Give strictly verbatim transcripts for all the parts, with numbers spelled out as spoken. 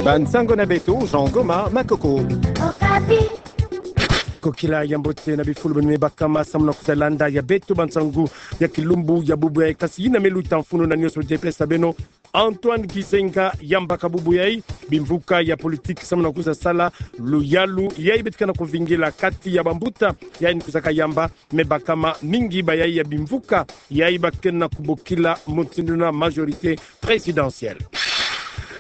Bansango na beto, Jean Goma Makoko. Kokila ya mbote na bifulu beno me bakama samu na kwiza landa ya beto bansango ya kilumbu ya bubu yayi. Kasi yina me luta mfunu na nioso, je pesa beno Antoine Gizenga yambaka bubu yayi bimvuka ya politique samu na kwiza sala luyalu yayi beto ke na kuvingila kati ya bambuta yayi ni kwizaka yamba, me bakama mingi bayayi ya bimvuka yayi ba ke na kubokila mutindu na majorité présidentielle.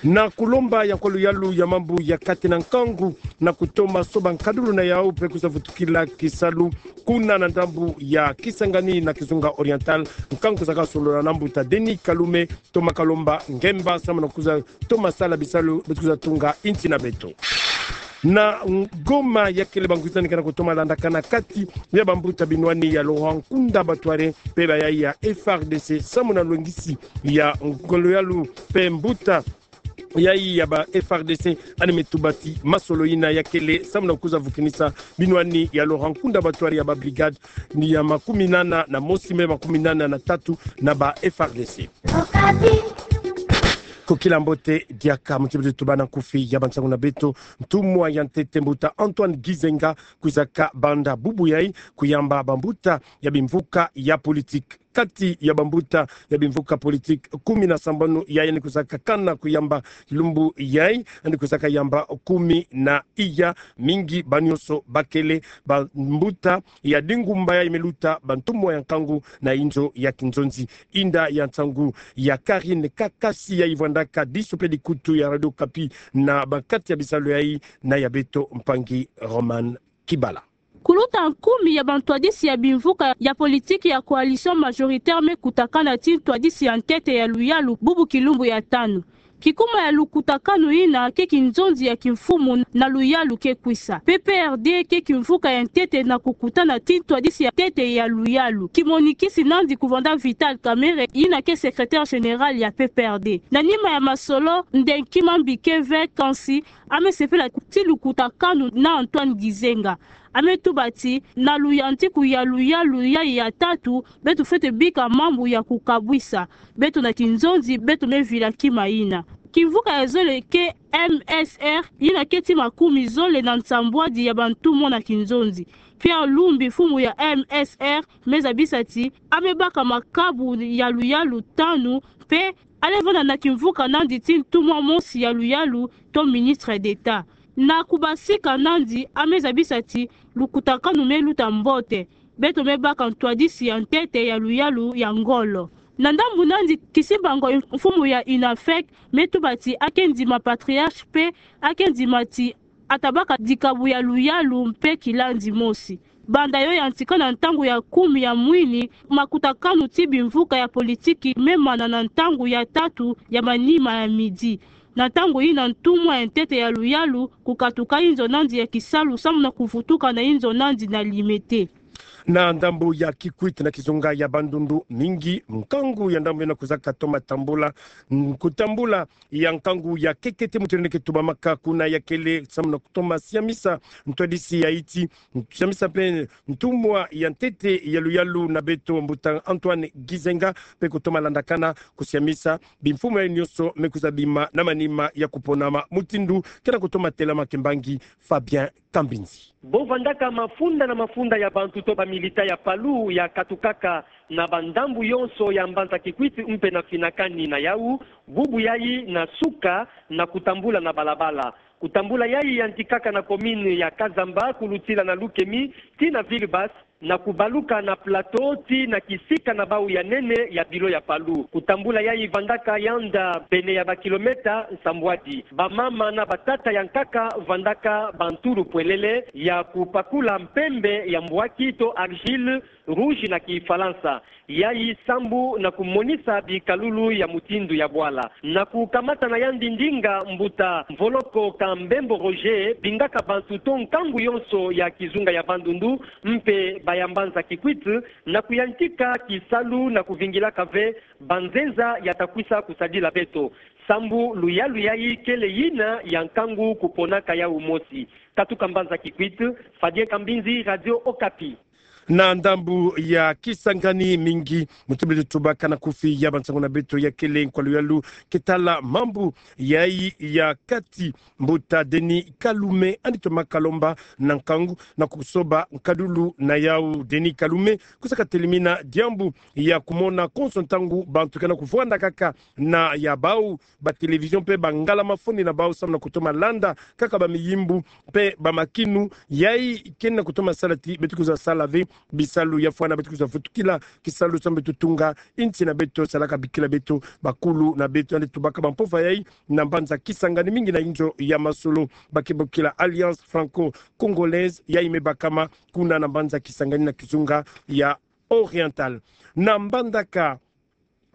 Na kulomba ya nkwa luyalu ya mambu ya kati na nkangu na kutoma soba nkadulu na yawu mpe kwiza vutukila kisalu kuna na ndambu ya Kisangani na Kizunga Oriental, nkangu kwizaka solola na mbuta Denis Kalume, toma kalomba ngemba samu na kwiza toma sala bisalu beto kwiza tunga insi na beto. Na Goma ya kele bangwizani ke na kutoma landakana kati ya bambuta binwani ya Laurent Nkunda Batware mpe bayayi ya F R D C samu na lwengisi ya ngolo yalu mpe mbuta yayi ya ba F R D C, yandi me tuba ti masolo yina ya kele samu na kwiza vukinisa binwani ya Laurent Nkunda Batware ya ba brigade ni ya makuminana na mosi mpe makuminana na tatu na ba F R D C. Kokila mbote diaka, muti beto tubana nkufi ya bansango na beto, ntumwa ya ntete mbuta Antoine Gizenga kwizaka banda bubu yayi kuyamba bambuta ya bimvuka ya politique. Kati ya bambuta ya bimvuka politique kumi na sambanu yayi yandi kwizaka kana kuyamba lumbu yayi, yandi kwizaka yamba kumi na iya, mingi ba nioso ba kele bambuta ya dingumba yayi me luta bantumwa ya nkangu na inzo ya kinzonzi. Inda ya nsangu ya Karine Kakasi yayi vwandaka diso mpe dikutu ya Radio Okapi na ba kati ya bisalu yayi, na ya beto mpangi Roman Kibala. Kuluta kumi ya bantwadisi ya bimvuka ya politique ya coalition majoritaire me kutakana ti ntwadisi ya ntete ya luyalu bubu kilumbu ya tanu. Kikuma ya lukutakanu yina ke kinzonzi ya kimfumu na luyalu ke kwisa. P P R D ke kimvuka ya ntete na kukutana ti ntwadisi ya ntete ya luyalu. Kimonikisi nandi kuvanda Vital Kamerhe, yina ke secrétaire général ya P P R D. Na nima ya masolo, Ndenki Mambi ke ve kansi, ame sepela ti lukutakanu na Antoine Gizenga. Ame tuba ti, na luyantiku ya luyalu yayi ya tatu, beto fwete bika mambu ya kukabwisa beto na kinzonzi beto me vila kima yina. Kimvuka ya zole ke M S R, yina ke ti makumi zole na nsambwadi ya bantumwa na kinzonzi. Pierre Lumbi, mfumu ya M S R, me zabisa ti, ame baka makabu ya luyalu tanu, mpe ale vanda na kimvuka nandi ti ntumwa mosi ya luyalu to ministre d'État. Na kubasika nandi, ame zabisa ti lukutakanu me luta mbote, beto me baka ntwadisi ya ntete ya luyalu ya ngolo. Na ndambu nandi, Kisimbango, mfumu ya UNAFEC, me tuba ti ake ndima patriarche mpe ake ndima ti ata baka dikabu ya luyalu mpe kilandi mosi. Banda yo yantika na ntangu ya kumi ya mwini, makutakanu ti bimvuka ya politique me mana na ntangu ya tatu ya manima ya midi. Na ntangu yina ntumwa ya ntete ya luyalu kukatuka inzo nandi ya kisalu samu na kuvutuka na inzo nandi na Limete. Na ndambu ya Kikwit na kizunga ya Bandundu, mingi nkangu ya ndambu yina kwizaka toma tambula, kutambula ya nkangu ya kekete muti yina ke tubamaka kuna ya kele samu na kutoma siamisa ntwadisi ya iti, siamisa mpe ntumwa ya ntete ya luyalu na beto mbuta Antoine Gizenga, mpe kutoma landakana kusiamisa bimfumu ya nioso me kwiza bima na manima ya kuponama mutindu ke na kutoma telama kimbangi Fabien Kambinzi. Bo vandaka mafunda na mafunda ya bantu to ba milita ya Palu ya katukaka na bandambu yonso ya mbanza Kikwit mpe na finakani na yau, bubu yayi na suka na kutambula na balabala. Kutambula yayi yantikaka na commune ya Kazamba, kulutila na Lukemi, tii na Ville Basse, na kubaluka na Plateau tii na kisika na bau ya nene ya bilo ya Palu. Kutambula yayi vandaka yanda pene ya ba kilomètre nsambwadi. Bamama na batata ya nkaka vandaka bantulu pwelele ya kupakula mpembe ya mbwaki to argile rouge na kifalansa. Yayi sambu na kumonisa bikalulu ya mutindu ya bwala. Na kukamata na yandi ndinga, mbuta Mvoloko Kambembo Roger bingaka bantu to nkangu yonso ya kizunga ya Bandundu mpe ba ya mbanza Kikwit na kuyantika kisalu na kuvingilaka ve banzenza ya ta kwisa kusadila beto. Sambu luyalu yayi kele yina ya nkangu kuponaka yau mosi. Katuka mbanza Kikwit, Fabien Kambinzi, Radio Okapi. Na ndambu ya Kisangani mingi, mutu beto tubaka na kufi ya bansangu na beto ya kele nkwalu yalu, ke tala mambu yayi ya kati mbuta Denis Kalume, yandi toma kalomba na nkangu na kusoba nkadulu na yau. Denis Kalume kwiza katelemina diambu ya kumona konso ntangu bantu ke na kuvwanda kaka na ya bau ba télévision mpe ba ngala-mafoni na bau samu na kutoma landa kaka ba miyimbu mpe ba makinu yayi ke na kutoma sala ti beto kwiza sala ve bisalu ya fwana, beto kwiza vutukila kisalu samu beto tunga insi na beto, salaka bikila beto, bakulu na beto. Yandi tubaka bampova yayi na mbanza Kisangani mingi na inzo ya masolo ba ke bokila Alliance Franco-Congolaise, yayi me bakama kuna na mbanza Kisangani na kizunga ya Oriental. Na mbandaka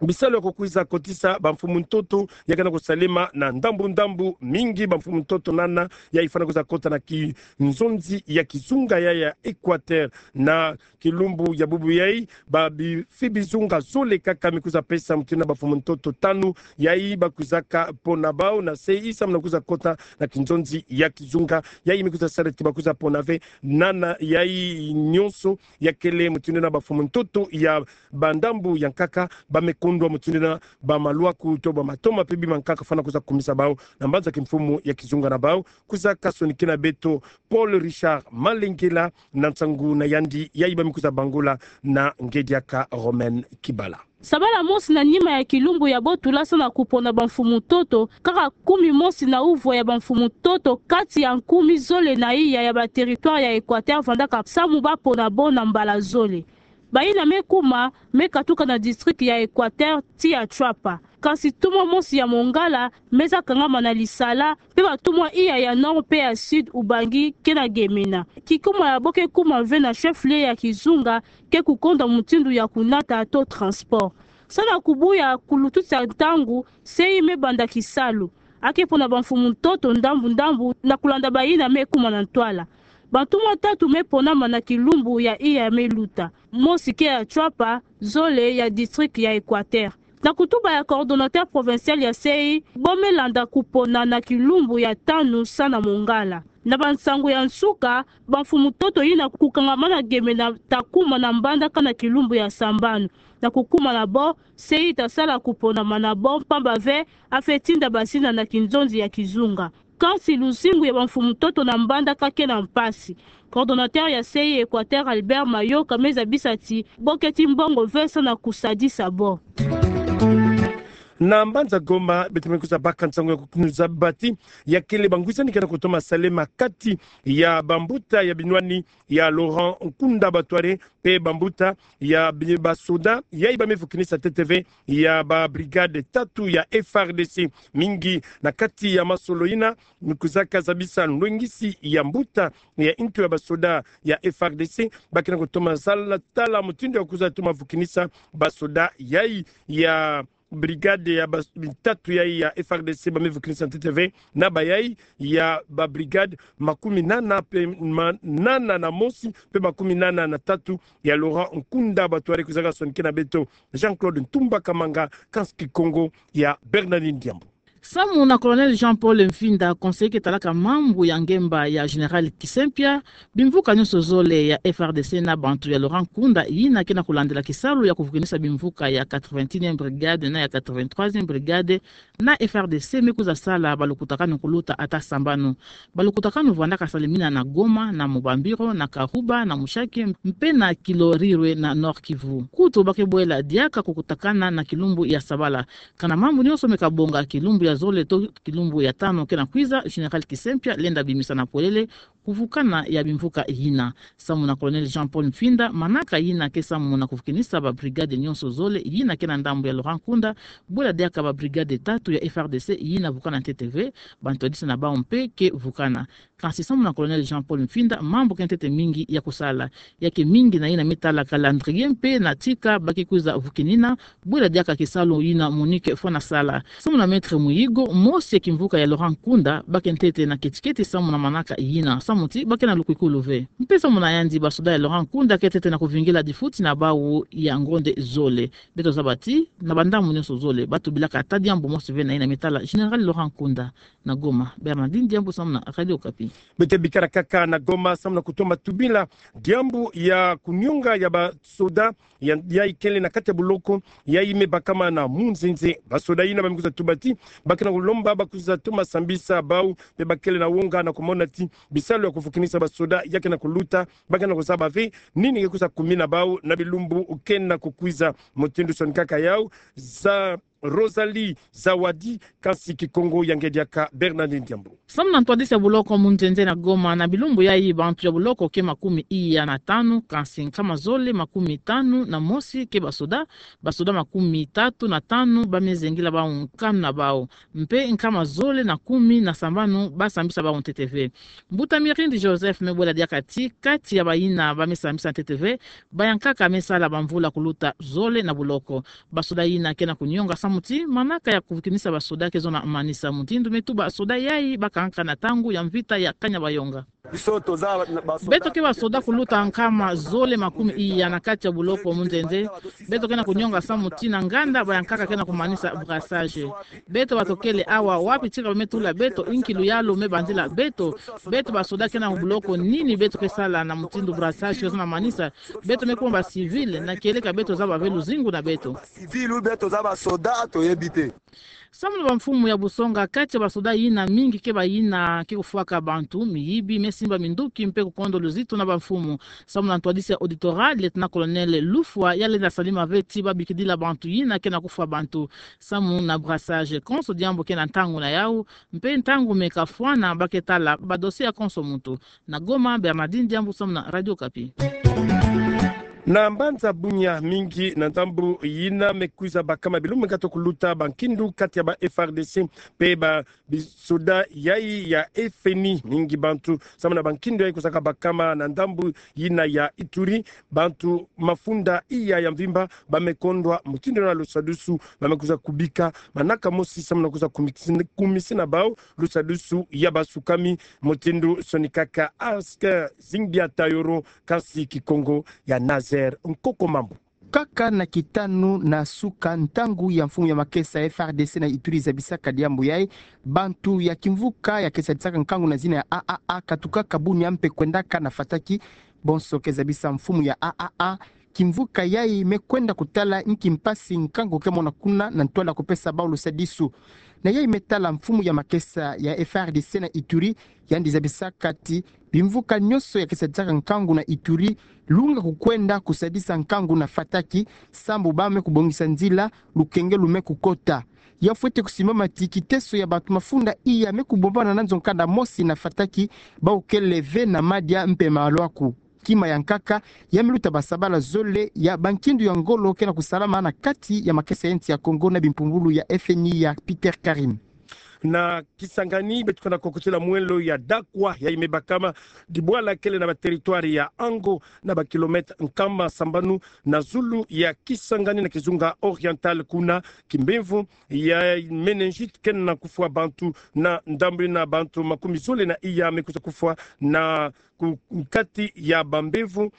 bisalu ya kukwiza kotisa bamfumu ntoto ya ke na kusalema na ndambu-ndambu mingi. Bamfumu ntoto nana yayi fwana kwiza kota na kinzonzi ya kizunga ya, ya Équateur, na kilumbu ya bubu yayi, ba bifi bizunga zole kaka me kwiza pesa mutindu na bamfumu ntoto tanu yayi ba kwizaka pona bau na se yi samu na kwiza kota na kinzonzi ya kizunga. Yayi me kwiza sala ti ba kwiza pona ve nana yayi nyonso ya kele mutindu na bamfumu ntoto ya bandambu ya nkaka ba me kondwa mutindu na bamalwaku to bamatoma mpe bima nkaka fwana kwiza kumisa bau. Na mbanza kimfumu ya kizunga na bau kwiza kasonikina beto Paul Richard Malengela na nsangu na yandi yayi ba me kwiza bangula na ngediaka Romaine Kibala. Sabala mosi na nima ya kilumbu ya botula samu na kupona bamfumu ntoto, kaka kumi mosi na uvwa ya bamfumu ntoto kati ya nkumi zole na iya ya ba territoire ya Équateur vandaka samu ba pona bo na mbala zole. Bayina me kuma me katuka na district ya Équateur ti ya Tshuapa. Kansi tumwa mosi ya Mongala me za kangama na lisala, mpe batumwa iya ya Nord mpe ya Sud Ubangi ke na gemena. Kikuma ya bo ke kuma ve na chef-lieu ya kizunga ke kukonda mutindu ya kunata to transport. Samu na kubuya kulututisa ntangu, se yi me banda kisalu. A ke pona bamfumu ntoto ndambu-ndambu na kulanda bayina me kuma na ntwala. Bantumwa tatu me ponama na kilumbu ya iya me luta. Mosi ke ya Tshuapa, zole ya district ya Équateur. Na kutuba ya coordonnateur provincial ya se yi, bo me landa kupona na kilumbu ya tanu samu na Mongala. Na bansangu ya nsuka, bamfumu ntoto yina kukangamana gemena ta kuma na mbandaka na kilumbu ya sambanu. Na kukuma na bo, se yi ta sala kuponama na bo, mpamba ve a fwe tinda bazina na kinzonzi ya kizunga. Kansi luzingu ya bamfumu ntoto na mbandaka ke na mpasi. Coordonnateur ya se yi Équateur, Albert Mayoka, me zabisa ti bo keti mbongo ve samu na kusadisa bo. Na mbanza Goma, beto me kwiza baka nsangu ya kukinu zaba ti ya kele bangwisani ke na kutoma salema kati ya bambuta ya binwani ya Laurent Nkunda Batware mpe bambuta ya bi-, basoda yayi ba me vukinisa ntete ve ya ba brigade tatu ya F R D C. Mingi na kati ya masolo yina, me kwizaka zabisa nlwengisi ya mbuta ya ntu ya basoda ya F R D C, ba ke na kutoma sala tala mutindu ya kwiza toma vukinisa basoda yayi ya brigade ya ba-, tatu yayi ya F R D C ba me vukinisa ntete ve, na bayayi ya ba brigade makumi nana mpe ma-, nana na mosi mpe makumi nana na tatu ya Laurent Nkunda Batware. Kwizaka sonikina beto Jean-Claude Ntumba Kamanga, kansi Kikongo ya Bernardine Diambu. Samu na Colonel Jean-Paul Mfinda, conseiller ke talaka mambu ya ngemba ya Général Kisempia, bimvuka nyonso zole ya F R D C na bantu ya Laurent Nkunda yina ke na kulandila kisalu ya kuvukinisa bimvuka ya quatre-vingt-unième brigade na ya quatre-vingt-troisième brigade na F R D C me kwiza sala balukutakanu kuluta ata sambanu. Balukutakanu vwandaka salemina na Goma, na Mubambiro, na Kahuba, na Mushaki, mpe na Kilorirwe na Nord-Kivu. Kutu ba ke bwela diaka kukutakana na kilumbu ya sabala. Kana mambu nyonso me kabonga, kilumbu ya zole to kilumbu ya tanu ke na kwiza, Général Kisempia lenda bimisa na polele kuvukana ya bimvuka yina. Samu na Colonel Jean-Paul Mfinda, manaka yina ke samu na kuvukinisa ba brigade nyonso zole yina ke na ndambu ya Laurent Nkunda, bwela diaka ba brigade tatu ya F R D C yina vukana ntete ve, bantwadisi na bau mpe ke vukana. Kansi samu na Colonel Jean-Paul Mfinda, mambu ke ntete mingi ya kusala. Ya ke mingi na yina me tala calendrier mpe na tika ba ke kwiza vukinina, bwela diaka kisalu yina Monique Fwanasala. Samu na Maître Muyigo, mosi ya kimvuka ya Laurent Nkunda, ba ke ntete na keti-keti samu na manaka yina, samu ti ba ke na lukwikulu ve. Mpe samu na yandi, basoda ya Laurent Nkunda ke ntete na kuvingila difuti na bau ya ngonde zole. Beto zaba ti, na bandambu nyonso zole, ba tubilaka ata diambu mosi ve na yina me tala Général Laurent Nkunda. Na Goma, Bernardine Diambu samu na Radio Okapi. Beto bikala kaka na Goma samu na kutoma tubila diambu ya kunyonga ya basoda ya, ya ikele na kati ya boloko, ya ime bakama na Munzenze. Basoda yina ba me kwiza tuba ti ba ke na kulomba ba kwiza toma sambisa bau, mpe ba kele na wonga na kumona ti bisalu ya kufukinisa basoda ya ke na kuluta, ba ke na kuzaba ve nini ke kwiza kumina bau na bilumbu ke na kukwiza. Mutindu sonikaka yau, za Rosalie Zawadi, kansi Kikongo ya nge diaka Bernardine Diambu. Samu na ntwadisi ya boloko Munzenze na Goma, na bilumbu yayi bantu ya boloko ke makumi iya na tanu, kansi nkama zole makumi tanu na mosi ke basoda, basoda makumi tatu na tanu ba me zengila bau nkanu na bau, mpe nkama zole na kumi na sambanu ba sambisa bau ntete ve. Mbuta Mirindi Joseph me bwela diaka ti kati ya bayina ba me sambisa ntete ve, bayankaka me sala bamvula kuluta zole na boloko. Basoda yina ke na kunyonga samu ti manaka ya kukinisa basoda ke zona manisa. Mutindu me tuba, soda yayi ba kangaka na ntangu ya mvita ya kanya bayonga. Beto ke basoda kuluta nkama zole makumi iya na kati ya boloko Munzenze. Beto ke na kunyonga samu ti na nganda bayankaka ke na kumanisa brassage. Beto bato kele awa, wapi tika ba me tula beto, inki luyalu me banzila beto? Beto basoda ke na boloko, nini beto ke sala? Na mutindu brassage ke zona manisa, beto me kuma ba civil, na kieleka beto zaba ve luzingu na beto. Civil ou beto zaba soda, toyebi te. Samu na bamfumu ya busonga, kati ya basoda yina, mingi ke bayina ke kufwaka bantu, miyibi, me simba minduki, mpe kukondo luzitu na bamfumu. Samu na ntwadisi ya auditorat, Lieutenant-colonel Lufwa, ya lenda salima ve ti ba bikidila bantu yina ke na kufwa bantu samu na brassage. Konso diambu ke na ntangu na yau, mpe ntangu me kafwana ba ke tala ba dossier ya konso muntu. Na Goma, Bernardine Diambu samu na Radio Okapi. Na mbanza Bunia, mingi na ndambu yina me kwiza bakama bilumbu me kwiza kuluta bankindu kati ya ba F R D C mpe ba bisoda yayi ya F N I. Mingi bantu samu na bankindu yayi kwizaka bakama na ndambu yina ya Ituri. Bantu mafunda iya ya mvimba ba me kondwa, mutindu na lusadusu ba me kwiza kubika, manaka mosi samu na kwiza kumisi-, kumisina bau lusadusu ya basukami. Mutindu sonikaka Asker Zingbia Tayoro, kansi Kikongo ya Nazaire Nkoko Mambu. Kaka na kitanu na suka ntangu ya mfumu ya makesa F R D C na Ituri zabisaka diambu yayi, bantu ya kimvuka ya ke sadisaka nkangu na zina ya A A A katukaka Bunia mpe kwendaka na Fataki. Bonso ke zabisa mfumu ya A A A, kimvuka yayi me kwenda kutala inki mpasi nkangu ke mona kuna na ntwala kupesa bau lusadisu. Na yayi me tala mfumu ya makesa ya F R D C na Ituri, yandi zabisaka ti bimvuka nyonso ya ke sadisaka nkangu na Ituri, lunga kukwenda kusadisa nkangu na Fataki, sambu ba me kubongisa nzila, lukenge lu me kukota. Ya fwete kusimbama ti kiteso ya bantu mafunda iya me kubombana na nzo nkanda mosi na Fataki, bau kele ve na madia mpe malwaku. Kima ya nkaka, ya me luta basabala zole ya bankindu ya ngolo ke na kusalama na kati ya makesa ya nsi ya Kongo na bimpumbulu ya F N I ya Peter Karim. Na Kisangani, beto ke na kokotila mwelo ya Dakwa, yayi me bakama dibwala kele na ba territoire ya Ango, na ba kilomètre nkama sambanu na zulu ya Kisangani na kizunga oriental. Kuna, kimbemvo ya méningite ke na kufwa bantu, na ndambu yina bantu makumi zole na iya me kwiza kufwa, na ku-, kati ya bambemvo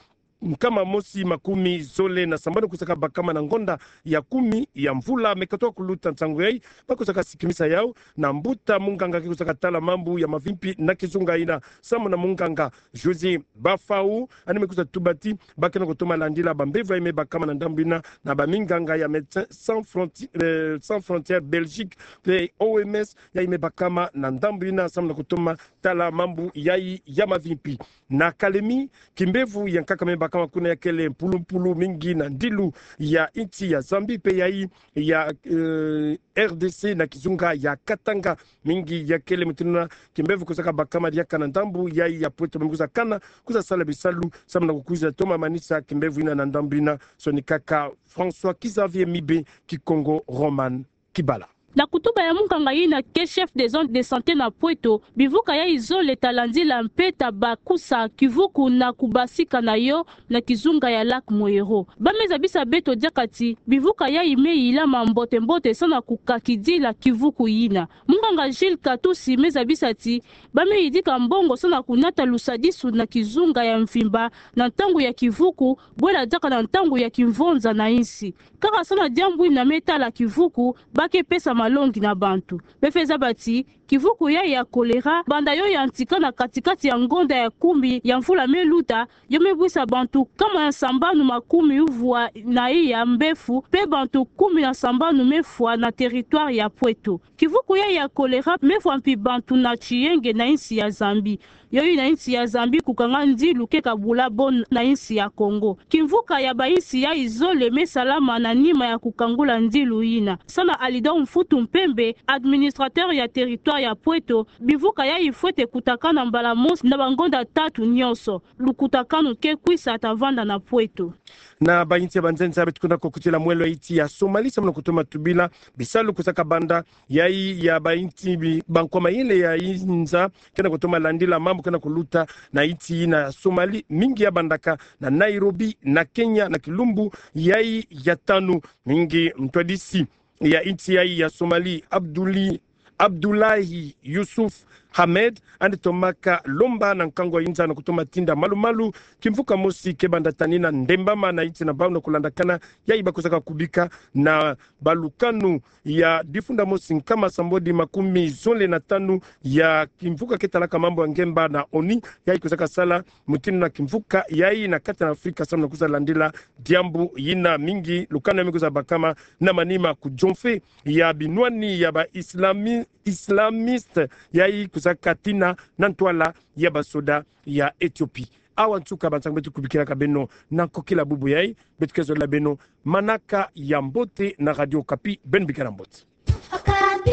nkama mosi makumi zole na sambanu kwizaka bakama na ngonda ya kumi ya mvula me katoka kuluta. Nsangu yayi ba kwizaka sikimisa yau na mbuta munganga ke kwizaka tala mambu ya mavimpi na kizunga yina, samu na munganga José Bafau, yandi me kwiza tuba ti ba ke na kutoma landila bambemvo yayi me bakama na ndambu yina na baminganga ya Médecins Sans Fronti-, eh, Sans Frontières Belgique mpe O M S yayi me bakama na ndambu yina, samu na kutoma tala mambu yayi ya mavimpi. Na Kalemi, kimbemvo ya nkaka me bakama kuna ya kele mpulumpulu mingi na ndilu ya nsi ya Zambie mpe yayi ya, eh, R D C na kizunga ya Katanga. Mingi ya kele mutindu yina, kimbemvo kwizaka bakama diaka na ndambu yayi ya Pointe-Noire, me kwiza kana, kwiza sala bisalu samu na kukwiza toma manisa kimbemvo yina na ndambu yina. Sonikaka François Xavier Mibe, Kikongo Roman Kibala. Na kutuba ya munganga yina ke chef des zones de santé na Pointe-Noire, bimvuka yayi zole ta landila mpe ta bakusa kivuku na kubasika na yo na kizunga ya Lac Moero. Ba me zabisa beto diaka ti bimvuka yayi me yilama mbote-mbote samu na kukakidila kivuku yina. Munganga Gilles Katusi me zabisa ti ba me yidika mbongo samu na kunata lusadisu na kizunga ya mvimba na ntangu ya kivuku, bwela diaka na ntangu ya kimvonza na nsi. Kaka samu na diambu yina me tala kivuku, ba ke pesa malongi na bantu. Befeza bati, kivuku yayi ya choléra, banda yo yantika na kati-kati ya ngonda ya kumi ya mvula me luta, yo me bwisa bantu nkama ya sambanu makumi uvwa na iya mbefu, pe bantu kumi na sambanu me fwa na territoire ya Pweto. Kivuku yayi ya choléra me fwa mpi bantu na tiyenge na insi ya Zambie. Yo yina insi ya Zambie kukanga ndilu ke kabula bo na insi ya Congo. Kimvuka ya ba insi yayi zole me salama na nima ya kukangula ndilu yina. Sana Alidor Mfutu Mpembe, administrateur ya territoire ya Pweto, bimvuka yayi fwete kutakana mbala mosi na bangonda tatu nyonso. Lukutakanu ke kwisa ta vanda na Pweto. Na ba insi ya banzenza beto kwenda kukutila mwelo ya insi ya Somalie, samu na kutoma tubila bisalu kusaka banda yayi ya ba insi bi-, bankwa mayele ya inza, ke na kutoma landila mambu ke na kuluta na insi yina Somalie, mingi ya bandaka na Nairobi, na Kenya, na kilumbu yayi ya tanu, mingi mtwadisi ya insi yayi ya Somalie, Abduli-, Abdullahi Yusuf Ahmed, yandi tomaka lomba na nkangu ya inza na kutoma tinda malu-malu kimvuka mosi ke banda tanina ndembama na insi na bau na kulandakana yayi bakusaka kubika na balukanu ya difunda mosi nkama sambodi makumi zole na tanu ya kimvuka ke talaka mambu ya ngemba na ONU, yayi kusaka sala mutindu na kimvuka yayi na kati na Afrika, samu na kusa landila diambu yina. Mingi lukanu ya me kusa bakama na manima kudionfe ya binwani ya ba islami-, islamiste yayi kusaka tina na ntwala ya basoda ya Ethiopie. Awa nsuka ba nsangu beto kubikilaka beno na nkokila bubu yayi. Beto ke zolila beno manaka ya mbote na Radio Okapi. Beno bikana mbote. Okapi.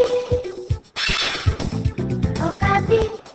Okapi.